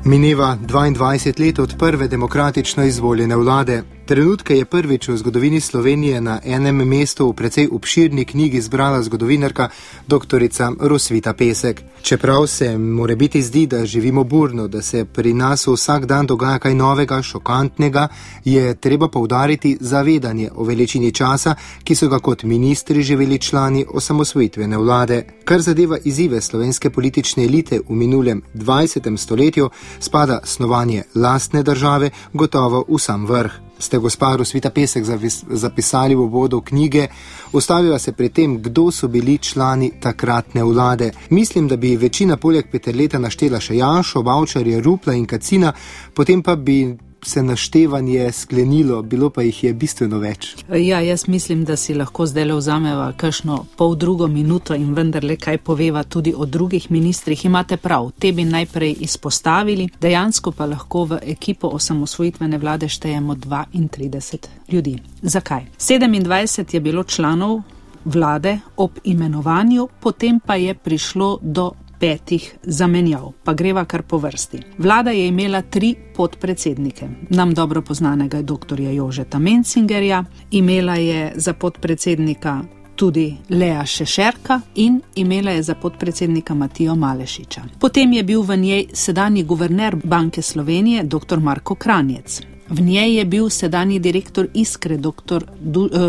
Mineva 22 let od prve demokratično izvoljene vlade. Trenutke je prvič v zgodovini Slovenije na enem mestu v precej obširni knjigi zbrala zgodovinarka doktorica Rosvita Pesek. Čeprav se morebiti zdi, da živimo burno, da se pri nas vsak dan dogaja kaj novega, šokantnega, je treba poudariti zavedanje o veličini časa, ki so ga kot ministri živeli člani osamosvojitvene vlade. Kar zadeva izzive slovenske politične elite v minulem 20. stoletju, spada snovanje lastne države gotovo v sam vrh. Ste gospa Rosvita Pesek zapisali v uvodu knjige, ustavila se pri tem, kdo so bili člani takratne vlade. Mislim, da bi večina poleg Peterleta naštela še Janšo, Bavčarja, Rupla in Kacina, potem pa bi se naštevanje sklenilo, bilo pa jih je bistveno več. Ja, jaz mislim, da si lahko zdaj vzameva kakšno poldrugo minuto in vendarle kaj poveva tudi o drugih ministrih. Imate prav, te bi najprej izpostavili, dejansko pa lahko v ekipo osamosvojitvene vlade štejemo 32 ljudi. Zakaj? 27 je bilo članov vlade ob imenovanju, potem pa je prišlo do 5 zamenjav, pa greva kar po vrsti. Vlada je imela 3 podpredsednike. Nam dobro poznanega doktorja Jožeta Mencingerja, imela je za podpredsednika tudi Lea Šešerka in imela je za podpredsednika Matijo Malešiča. Potem je bil v njej sedanji guverner Banke Slovenije, dr. Marko Kranjec. V njej je bil sedanji direktor Iskre,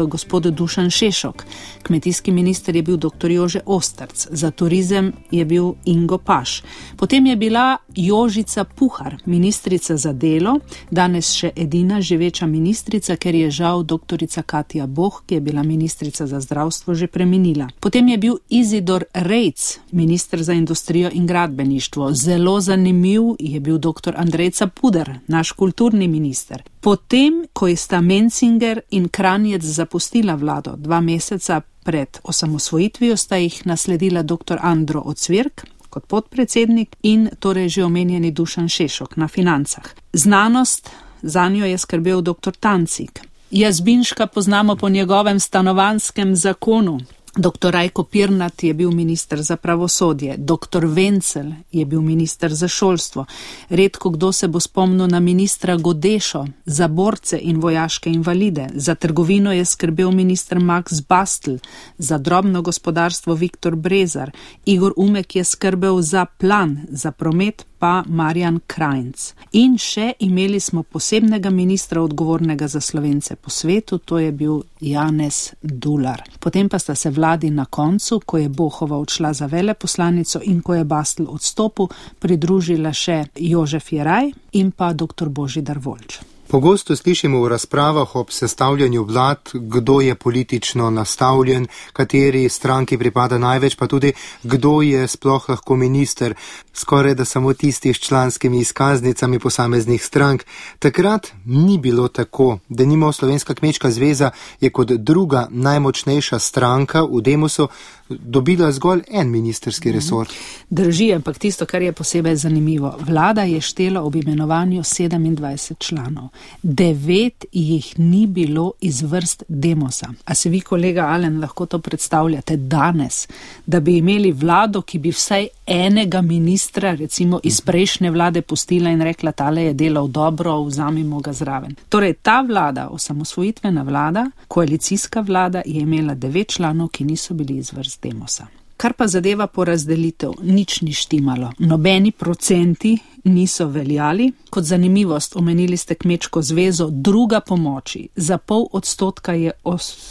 gospod Dušan Šešok. Kmetijski minister je bil dr. Jože Ostrc. Za turizem je bil Ingo Paš. Potem je bila Jožica Puhar, ministrica za delo, danes še edina živeča ministrica, ker je žal doktorica Katja Boh, ki je bila ministrica za zdravstvo, že preminila. Potem je bil Izidor Rejc, minister za industrijo in gradbeništvo. Zelo zanimiv je bil dr. Andrej Capuder, naš kulturni minister. Potem, ko sta Mencinger in Kranjec zapustila vlado 2 meseca pred osamosvojitvijo, sta jih nasledila dr. Andro Ocvirk kot podpredsednik in torej že omenjeni Dušan Šešok na financah. Znanost, zanjo je skrbel dr. Tancik. Jazbinška poznamo po njegovem stanovanjskem zakonu. Dr. Rajko Pirnat je bil minister za pravosodje, dr. Vencel je bil minister za šolstvo. Redko kdo se bo spomnil na ministra Godešo za borce in vojaške invalide. Za trgovino je skrbel minister Max Bastl, za drobno gospodarstvo Viktor Brezar. Igor Umek je skrbel za plan, za promet pa Marjan Krajnc. In še imeli smo posebnega ministra odgovornega za Slovence po svetu, to je bil Janez Dular. Potem pa sta se vladi na koncu, ko je Bohova odšla za veleposlanico in ko je Bastl odstopil, pridružila še Jožef Jeraj in pa dr. Božidar Volč. Pogosto slišimo v razpravah ob sestavljanju vlad, kdo je politično nastavljen, kateri stranki pripada največ, pa tudi kdo je sploh lahko minister, skoraj da samo tisti s članskimi izkaznicami posameznih strank. Takrat ni bilo tako. Denimo Slovenska kmečka zveza je kot druga najmočnejša stranka v Demosu dobila zgolj en ministerski resor. Drži, ampak tisto, kar je posebej zanimivo, vlada je štela ob imenovanju 27 članov. 9 jih ni bilo iz vrst Demosa. A se vi, kolega Alen, lahko to predstavljate danes, da bi imeli vlado, ki bi vsaj enega ministra, recimo iz prejšnje vlade, pustila in rekla, tale je delal dobro, vzamimo ga zraven. Torej, ta vlada, osamosvojitvena vlada, koalicijska vlada, je imela 9 članov, ki niso bili iz vrst Demosa. Kar pa zadeva porazdelitev, nič ni štimalo. Nobeni procenti niso veljali. Kot zanimivost, omenili ste kmečko zvezo, druga pomoči. Za 0,5% je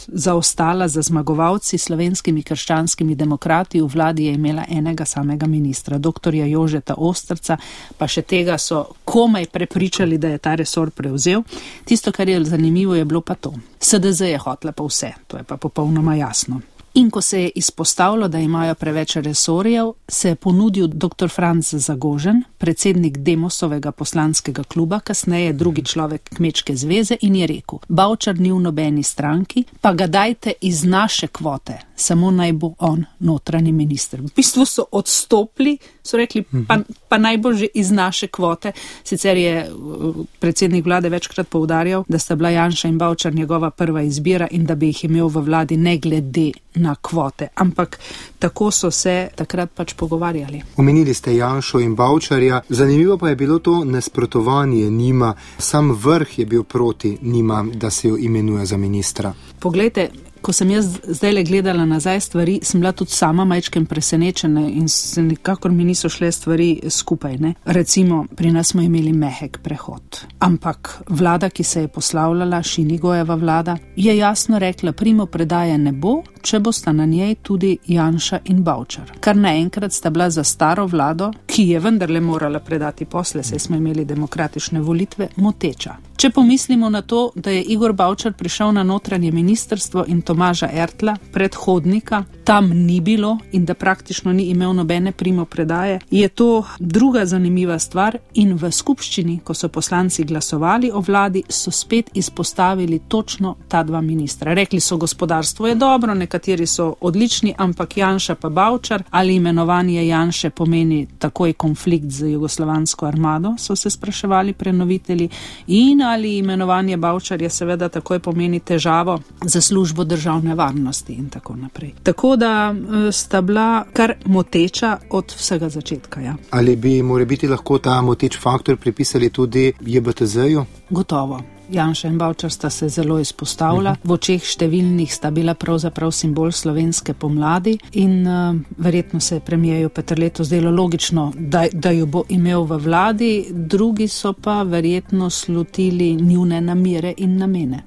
zaostala za zmagovalci slovenskimi krščanskimi demokrati. V vladi je imela enega samega ministra, doktorja Jožeta Ostrca, pa še tega so komaj prepričali, da je ta resor prevzel. Tisto, kar je zanimivo, je bilo pa to. HDZ je hotela pa vse, to je pa popolnoma jasno. In ko se je izpostavilo, da imajo preveč resorjev, se je ponudil dr. Franc Zagožen, predsednik Demosovega poslanskega kluba, kasneje drugi človek kmečke zveze, in je rekel, Bavčar ni v nobeni stranki, pa ga dajte iz naše kvote. samo naj bo on notranji minister. V bistvu so odstopili, so rekli, pa naj bo že iz naše kvote. Sicer je predsednik vlade večkrat poudarjal, da sta bila Janša in Bavčar njegova prva izbira in da bi jih imel v vladi ne glede na kvote. Ampak tako so se takrat pač pogovarjali. Omenili ste Janšo in Bavčarja. Zanimivo pa je bilo to nasprotovanje njima. Sam vrh je bil proti njima, da se jo imenuje za ministra. Poglejte, ko sem jaz zdajle gledala nazaj stvari, sem bila tudi sama majčken presenečena in se nikakor mi niso šle stvari skupaj. Ne? Recimo, pri nas smo imeli mehek prehod. Ampak vlada, ki se je poslavljala, Šinigojeva vlada, je jasno rekla, primopredaje ne bo, če bosta na njej tudi Janša in Bavčar. Kar naenkrat sta bila za staro vlado, ki je vendarle morala predati posle, saj smo imeli demokratične volitve, moteča. Če pomislimo na to, da je Igor Bavčar prišel na notranje ministrstvo in Tomaža Ertla, predhodnika, tam ni bilo in da praktično ni imel nobene primopredaje, je to druga zanimiva stvar in v skupščini, ko so poslanci glasovali o vladi, so spet izpostavili točno ta dva ministra. Rekli so, gospodarstvo je dobro, nekateri so odlični, ampak Janša pa Bavčar, ali imenovanje Janše pomeni takoj konflikt z jugoslovansko armado, so se spraševali prenovitelji, in ali imenovanje Bavčarja seveda takoj pomeni težavo za službo državne varnosti in tako naprej. Tako da sta bila kar moteča od vsega začetka. Ja. Ali bi morebiti lahko ta moteč faktor pripisali tudi JBTZ-ju? Gotovo. Janša in Bavčar sta se zelo izpostavila. V očeh številnih sta bila pravzaprav simbol slovenske pomladi in verjetno se je premijeju Peterletu zdelo logično, da jo bo imel v vladi, drugi so pa verjetno slutili njune namere in namene.